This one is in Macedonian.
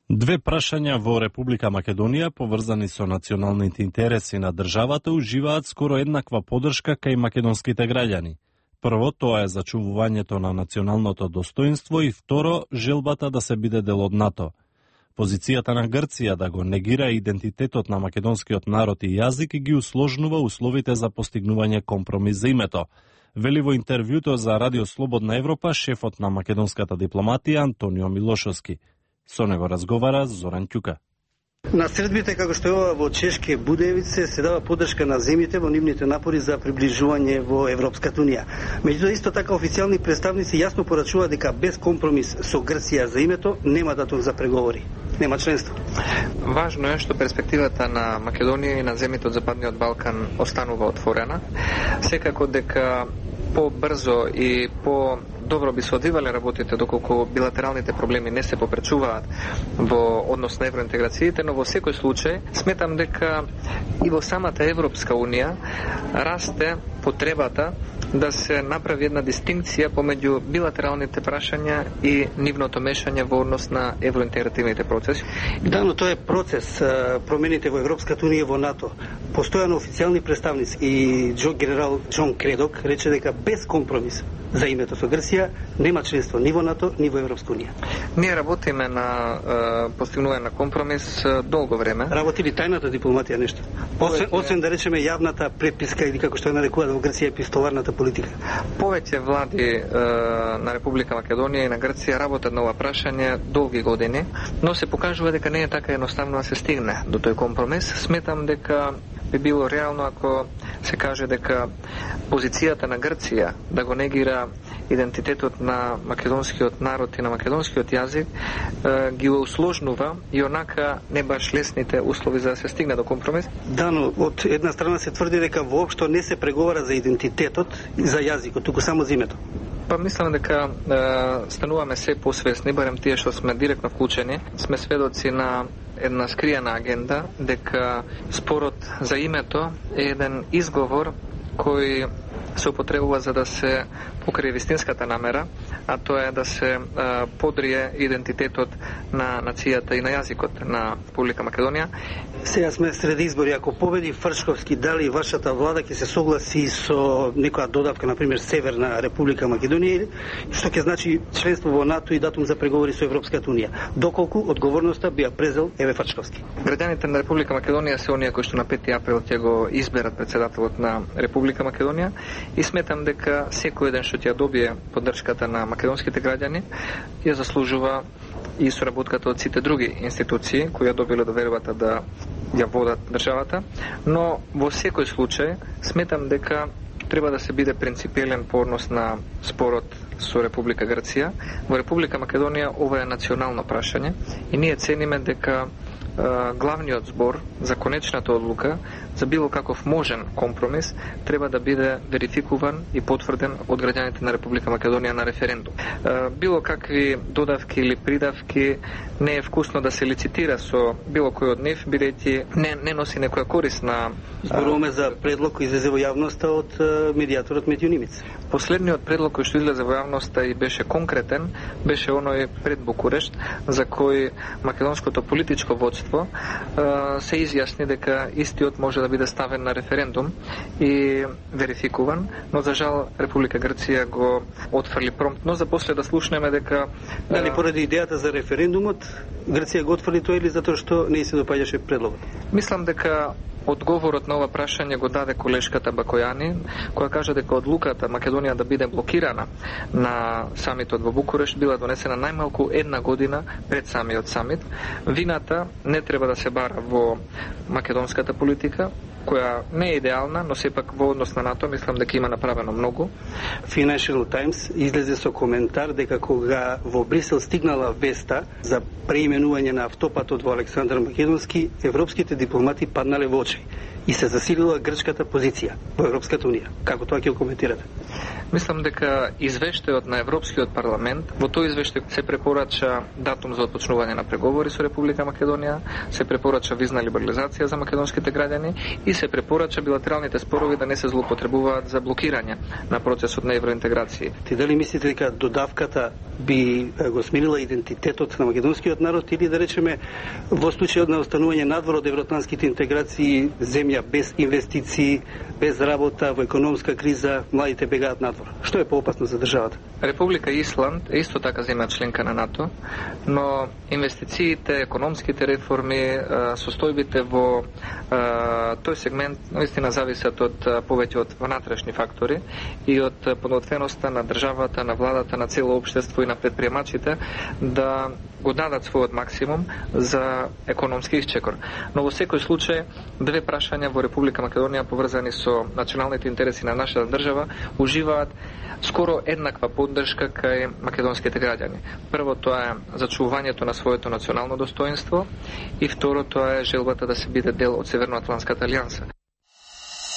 Две прашања во Република Македонија поврзани со националните интереси на државата уживаат скоро еднаква поддршка кај македонските граѓани. Прво, тоа е зачувувањето на националното достоинство и второ, желбата да се биде дел од НАТО. Позицијата на Грција да го негира идентитетот на македонскиот народ и јазик ги усложнува условите за постигнување компромис за името. Вели во интервјуто за Радио Слободна Европа шефот на македонската дипломатија Антонио Милошовски. Со него разговара Зоран Ќука. На средбите, како што е ова во Чешки Будеевице, се дава поддршка на земјите во нивните напори за приближување во Европската унија. Меѓутоа, исто така официјални представници јасно порачуваат дека без компромис со Грција за името нема датум за преговори. Нема членство. Важно е што перспективата на Македонија и на земјите од Западниот Балкан останува отворена. Секако дека по-брзо и по-добро би се одвивале работите доколку билатералните проблеми не се попречуваат во однос на евроинтеграциите, но во секој случај сметам дека и во самата Европска унија расте потребата да се направи една дистинкција помеѓу билатералните прашања и нивното мешање во однос на евроинтегративните процеси. Да, но тоа е процес. Промените во Европската унија и во НАТО. Постојано официјални представници и генерал Џон Кредок рече дека без компромис за името со Грција нема членство ни во НАТО, ни во Европска унија. Ние работиме на постигнување на компромис долго време. Работи ли тајната дипломатија нешто? Освен да речеме јавната преписка или како што ја нарекуваат во Грција епистоларната политика. Повеќе влади на Република Македонија и на Грција работат на ова прашање долги години, но се покажува дека не е така едноставно да се стигне до тој компромис. Сметам дека би било реално ако се каже дека позицијата на Грција да го негира идентитетот на македонскиот народ и на македонскиот јазик ги усложнува и онака не баш лесните услови за да се стигне до компромис. Да, но од една страна се тврди дека воопшто не се преговара за идентитетот и за јазикот, туку само за името. Па мислам дека стануваме се посвесни, барем тие што сме директно вклучени, сме сведоци на една скриена агенда, дека спорот за името е еден изговор кој се употребува за да се покрие вистинската намера, а тоа е да се подрие идентитетот на нацијата и на јазикот на Република Македонија. Сега сме сред избори. Ако победи Фршковски, дали вашата влада ќе се согласи со некоја додавка, например Северна Република Македонија, што ќе значи членство во НАТО и датум за преговори со Европската унија? Доколку одговорноста би ја презел Еве Фршковски? Граѓаните на Република Македонија се оние кои што на 5 април ќе го изберат председателот на Република Македонија и сметам дека секој еден што ќе добие поддршката на македонските граѓани ја заслужува и соработката од сите други институции кои ја добиле довербата да ја водат државата, но во секој случај сметам дека треба да се биде принципиелен по однос на спорот со Република Грција. Во Република Македонија ова е национално прашање и ние цениме дека главниот збор за конечната одлука за било каков можен компромис треба да биде верификуван и потврден од граѓаните на Република Македонија на референдум. Било какви додавки или придавки не е вкусно да се лицитира со било кој од нив, бидејќи не носи некоја корист на... Зборуваме за предлог кој излезе во јавноста од медијаторот Метјо Нимиц. Последниот предлог кој што излезе во јавноста и беше конкретен, беше оној пред Букурешт, за кој македонското политичко водство се изјасни дека истиот може да биде ставен на референдум и верификуван, но за жал Република Грција го отфрли промптно, за после да слушнеме дека... Дали поради идејата за референдумот Грција го отфрли тоа или затоа што не се допаѓаше предлогот? Мислам дека одговорот на ова прашање го даде колешката Бакојани, која кажа дека одлуката Македонија да биде блокирана на самитот во Букурешт била донесена најмалку една година пред самиот самит. Вината не треба да се бара во македонската политика, која не е идеална, но сепак во однос на НАТО мислам дека има направено многу. Financial Times излезе со коментар дека кога во Брисел стигнала веста за преименување на автопатот во Александар Македонски, европските дипломати паднале во очи и се засилила грчката позиција во Европската унија. Како тоа ќе го коментирате? Мислам дека извештајот на Европскиот парламент, во тој извештај се препорача датум за отпочнување на преговори со Република Македонија, се препорача визна либерализација за македонските граѓани и се препорача билатералните спорови да не се злоупотребуваат за блокирање на процесот на евроинтеграција. Ти дали мислите дека додавката би го сменила идентитетот на македонскиот народ или да речеме во случајот на останување надвор од евроатлантските интеграции, земја без инвестиции, без работа, во економска криза, младите бегаат надвор? Што е поопасно за државата? Република Исланд е исто така земја членка на НАТО, но инвестициите, економските реформи, состојбите во тој сегмент наистина зависат од повеќе од внатрешни фактори и од подготвеноста на државата, на владата, на цело општество и на предприемачите да го дадат својот максимум за економски исчекор. Но во секој случај, две прашања во Република Македонија поврзани со националните интереси на нашата држава уживаат скоро еднаква поддршка кај македонските граѓани. Прво, тоа е зачувувањето на своето национално достоинство и второ, тоа е желбата да се биде дел од Северноатлантската алијанса.